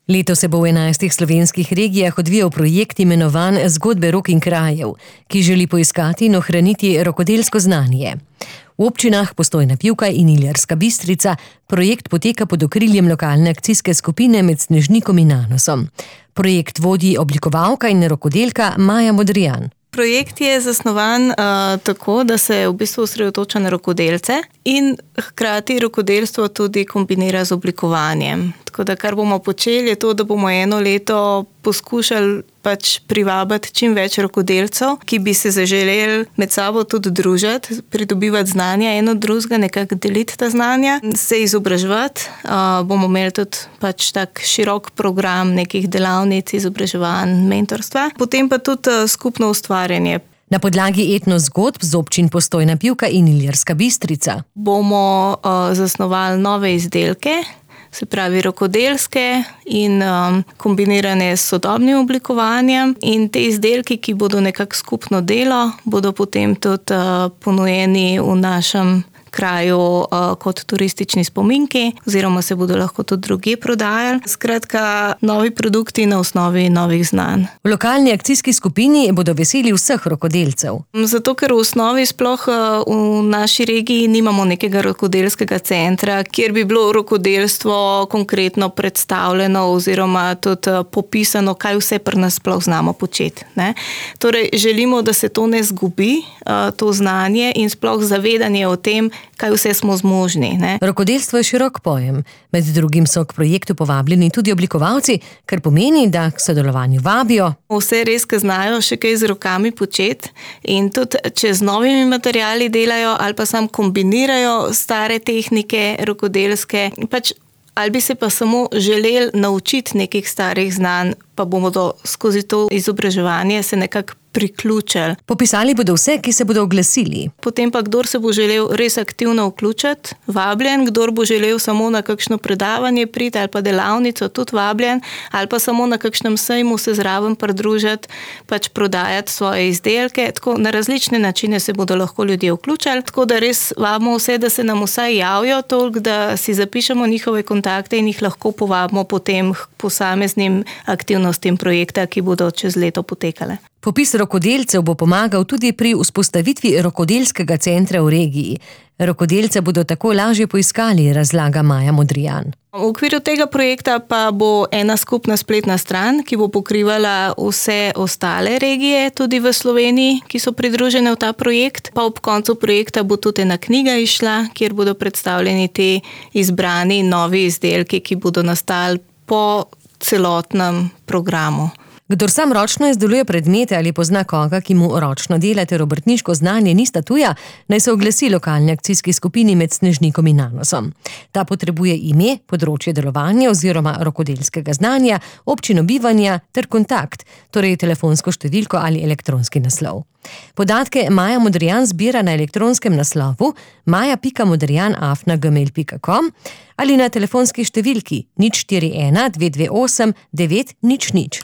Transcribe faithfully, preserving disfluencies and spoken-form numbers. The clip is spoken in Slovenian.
Leto se bo v enajstih slovenskih regijah odvijal projekt imenovan Zgodbe rok in krajev, ki želi poiskati in ohraniti rokodelsko znanje. V občinah Postojna Pivka in Ilirska Bistrica projekt poteka pod okriljem lokalne akcijske skupine Med Snežnikom in Nanosom. Projekt vodi oblikovalka in rokodelka Maja Modrijan. Projekt je zasnovan uh, tako, da se v bistvu osredotoča na rokodelce in hkrati rokodelstvo tudi kombinira z oblikovanjem. Tako da kar bomo počeli je to, da bomo eno leto poskušali pač privabiti čim več rokodelcev, ki bi se zaželeli med sabo tudi družiti, pridobivati znanja eno od drugega, nekako deliti ta znanja, se izobraževati. Uh, bomo imeli tudi pač tak širok program nekih delavnic, izobraževanj, mentorstva. Potem pa tudi uh, skupno ustvarjanje. Na podlagi etnozgodb z občin Postojna Pivka in Ilirska Bistrica bomo uh, zasnovali nove izdelke, se pravi rokodelske in um, kombinirane s sodobnim oblikovanjem, in te izdelki, ki bodo nekako skupno delo, bodo potem tudi uh, ponujeni v našem kraju uh, kot turistični spominki, oziroma se bodo lahko tudi drugje prodajali. Skratka, novi produkti na osnovi novih znanj. V lokalni akcijski skupini bodo veseli vseh rokodelcev. Zato, ker v osnovi sploh v naši regiji nimamo nekega rokodelskega centra, kjer bi bilo rokodelstvo konkretno predstavljeno oziroma tudi popisano, kaj vse pri nas sploh znamo početi. Ne? Torej, želimo, da se to ne zgubi, to znanje in sploh zavedanje o tem, kaj vse smo zmožni. Ne? Rokodelstvo je širok pojem. Med drugim so k projektu povabljeni tudi oblikovalci, kar pomeni, da k sodelovanju vabijo vse res, ki znajo še kaj z rokami početi, in tudi če z novimi materiali delajo ali pa sam kombinirajo stare tehnike rokodelske, pač ali bi se pa samo želeli naučiti nekih starih znanj, pa bomo do, skozi to izobraževanje se nekako priključili. Popisali bodo vse, ki se bodo oglasili. Potem pa, kdor se bo želel res aktivno vključiti, vabljen, kdor bo želel samo na kakšno predavanje priti ali pa delavnico, tudi vabljen, ali pa samo na kakšnem sejmu se zraven pridružiti, pač prodajati svoje izdelke. Tako na različne načine se bodo lahko ljudje vključili, tako da res vabimo vse, da se nam vsaj javijo toliko, da si zapišemo njihove kontakte in jih lahko povabimo potem k posameznim aktivnostim projekta, ki bodo čez leto potekale. Popis rokodelcev bo pomagal tudi pri vzpostavitvi rokodelskega centra v regiji. Rokodelce bodo tako lažje poiskali, razlaga Maja Modrijan. V okviru tega projekta pa bo ena skupna spletna stran, ki bo pokrivala vse ostale regije, tudi v Sloveniji, ki so pridružene v ta projekt. Pa ob koncu projekta bo tudi ena knjiga išla, kjer bodo predstavljeni ti izbrani novi izdelki, ki bodo nastali po celotnem programu. Kdor sam ročno izdeluje predmete ali pozna koga, ki mu ročno dela ter obrtniško znanje nista tuja, naj se oglasi lokalni akcijski skupini Med Snežnikom in Nanosom. Ta potrebuje ime, področje delovanja oziroma rokodelskega znanja, občino bivanja ter kontakt, torej telefonsko številko ali elektronski naslov. Podatke Maja Modrijan zbira na elektronskem naslovu maja pika modrijan afna gmail pika com ali na telefonski številki nič štiri ena dve dve osem devet nič nič.